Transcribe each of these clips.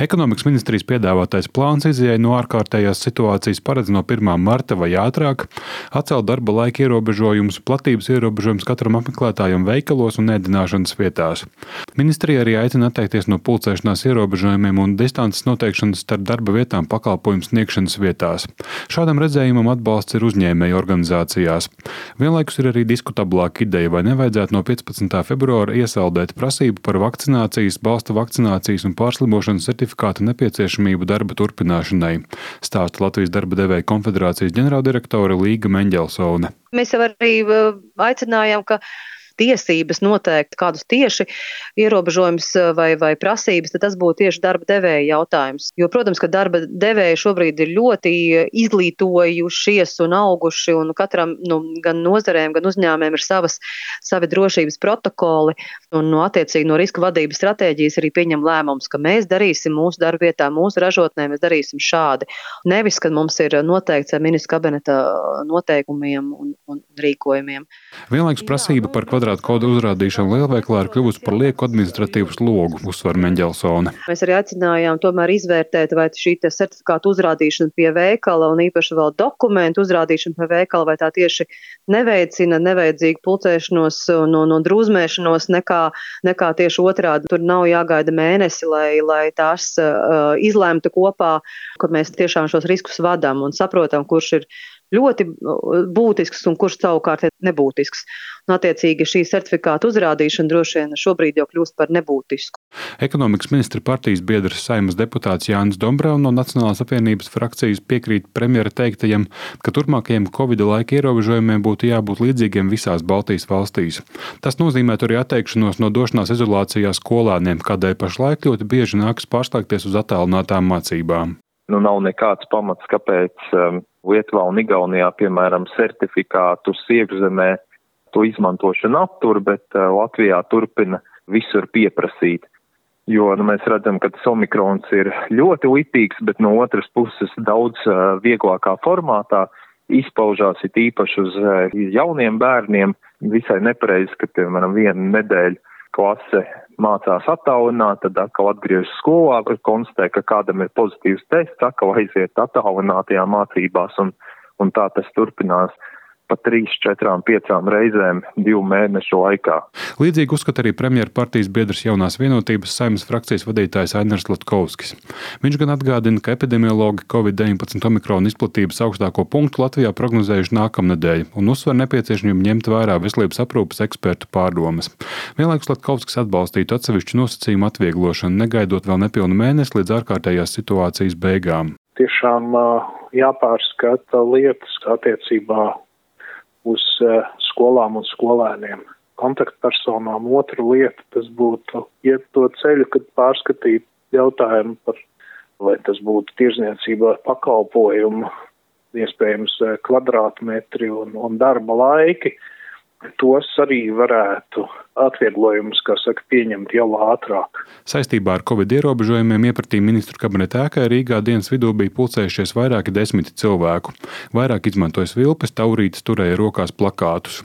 Ekonomikas ministrijas piedāvātais plāns izējai no ārkārtējās situācijas paredz no 1. marta vai ātrāk atcelt darba laika ierobežojumus, platības ierobežojumus katram apmeklētājam veikalos un ēdināšanas vietās. Ministrija arī aicina atteikties no pulcēšanās ierobežojumiem un distances noteikšanas starp darba vietām pakalpojumu sniegšanas vietās. Šādam redzējumam atbalsts ir uzņēmēju organizācijās. Vienlaikus ir arī diskutablāka ideja, vai nevajadzētu no 15. februāra iesaldēt prasību par vakcinācijas, balsta vakcinācijas un pārslimošanas certifikāta nepieciešamību darba turpināšanai, stāsta Latvijas darba devēju konfederācijas ģenerāldirektore Līga Meņģelsone. Mēs jau arī aicinājām, ka tiesības noteikt kādus tieši ierobežojumus vai prasības, tad tas būtu tieši darba devēja jautājums. Jo, protams, ka darba devēji šobrīd ir ļoti izglītojušies un auguši, un katram gan nozarēm, gan uzņēmēm ir savi drošības protokoli, un attiecīgi no riska vadības stratēģijas arī pieņem lēmums, ka mēs darīsim mūsu darba vietā, mūsu ražotnē, mēs darīsim šādi. Nevis, kad mums ir noteikts ar ministra kabineta noteikumiem un rīkojumiem. Vienlaikus prasība par kvadrātkodu uzrādīšanu lielveikalā ir kļuvusi par lieku administratīvu slogu, uzsver Meņģelsone. Mēs arī aicinājām tomēr izvērtēt, vai šī certifikāta uzrādīšana pie veikala un īpaši vēl dokumentu uzrādīšana pie veikala, vai tā tieši neveicina nevajadzīgu pulcēšanos un drūzmēšanos nekā tieši otrādi. Tur nav jāgaida mēnesi, lai tās izlemtu kopā, ka mēs tiešām šos riskus vadām un saprotam, kurš ir ļoti būtisks un kurš savukārt ir nebūtisks. Un attiecīgi šī certifikāta uzrādīšana droši vien šobrīd jau kļūst par nebūtisku. Ekonomikas ministra partijas biedrs Saeimas deputāts Jānis Dombrovs no Nacionālās apvienības frakcijas piekrīt premjera teiktajam, ka turpmākajiem Covid laika ierobežojumiem būtu jābūt līdzīgiem visās Baltijas valstīs. Tas nozīmētu arī atteikšanos no došanās izolācijā skolēniem, kādēļ pašlaik ļoti bieži nākas pārslēgties uz attālinātām mācībām. Nav nekāds pamats, kāpēc Lietuvā un Igaunijā, piemēram, certifikātus iekšzemē to izmantošanu aptur, bet Latvijā turpina visur pieprasīt. Jo mēs redzam, ka tas omikrons ir ļoti lipīgs, bet no otras puses daudz vieglākā formātā izpaužās it īpaši uz jauniem bērniem. Visai nepareizi, ka, piemēram, 1 nedēļu klase mācās attālināt, tad atkal atgriežas skolā, kur konstatē, ka kādam ir pozitīvs tests, atkal aiziet attālinātajā mācībās, un tā tas turpinās pa 3, 4, 5 reizēm 2 mēnešu laikā. Līdzīgi uzskata arī premjera partijas biedrs Jaunās vienotības Saeimas frakcijas vadītājs Ainars Latkovskis. Viņš gan atgādina, ka epidemiologi Covid-19 omikrona izplatības augstāko punktu Latvijā prognozējuši nākamnedēļ un uzsver nepieciešamību ņemt vērā veselības aprūpes ekspertu pārdomas. Vienlaikus Latkovskis atbalstītu atsevišķu nosacījumu atvieglošanu, negaidot vēl nepilnu mēnesi līdz ārkārtējās situācijas beigām. Tiešām jāpārskata lietas attiecībā uz skolām un skolēniem. Kontaktpersonām otra lieta, tas būtu iet to ceļu, kad pārskatīt jautājumu par, vai tas būtu tirzniecībā pakalpojumu, iespējams kvadrātmetri un darba laiki. Tos arī varētu atvieglojumus, kā saka, pieņemt jau ātrāk. Saistībā ar Covid ierobežojumiem iepratī ministru kabineta ēkai Rīgā dienas vidū bija pulcējušies vairāki 10 cilvēku. Vairāk izmantoja svilpes, taurītes, turēja rokās plakātus.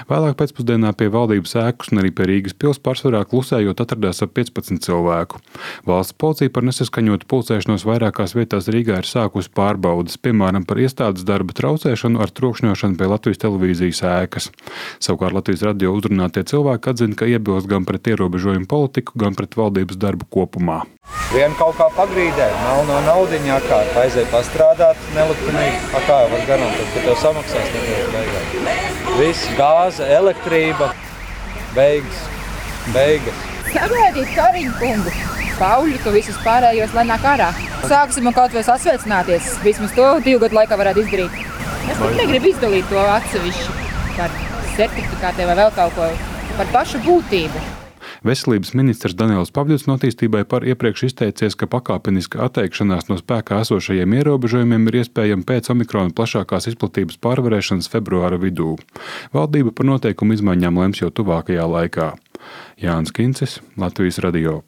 Vēlāk pēcpusdienā pie valdības ēkas un arī pie Rīgas pils pārsvarā klusējot atradās ap 15 cilvēku. Valsts policija par nesaskaņotu pulcēšanos vairākās vietās Rīgā ir sākusi pārbaudas, piemēram, par iestādes darba traucēšanu ar trokšņošanu pie Latvijas televīzijas ēkas. Savukārt Latvijas radio uzrunātie cilvēki atzina, ka iebilst gan pret ierobežojumu politiku, gan pret valdības darbu kopumā. Vien kaut kā pagrīdē, no naudiņā kārt, aiziet pastrādāt nelikumīgi, kā jau var garantēt, ka tev samaksās nekāds beigās. Viss, gāze, elektrība, beigas. Sagaidīt Kariņu kungu, Pauļu, ka visus pārējos lai nāk ārā. Sāksim kaut vai sasveicināties, vismaz to 2 gadu laikā varētu izdarīt. Es pat negribu izdalīt to atsevišķi par certifikātiem vai vēl kaut ko par pašu būtību. Veselības ministrs Daniels Pavļuts no Attīstībai par iepriekš izteicies, ka pakāpeniska atteikšanās no spēkā esošajiem ierobežojumiem ir iespējama pēc omikrona plašākās izplatības pārvarēšanas februāra vidū. Valdība par noteikumu izmaiņām lems jau tuvākajā laikā. Jānis Kincis, Latvijas radio.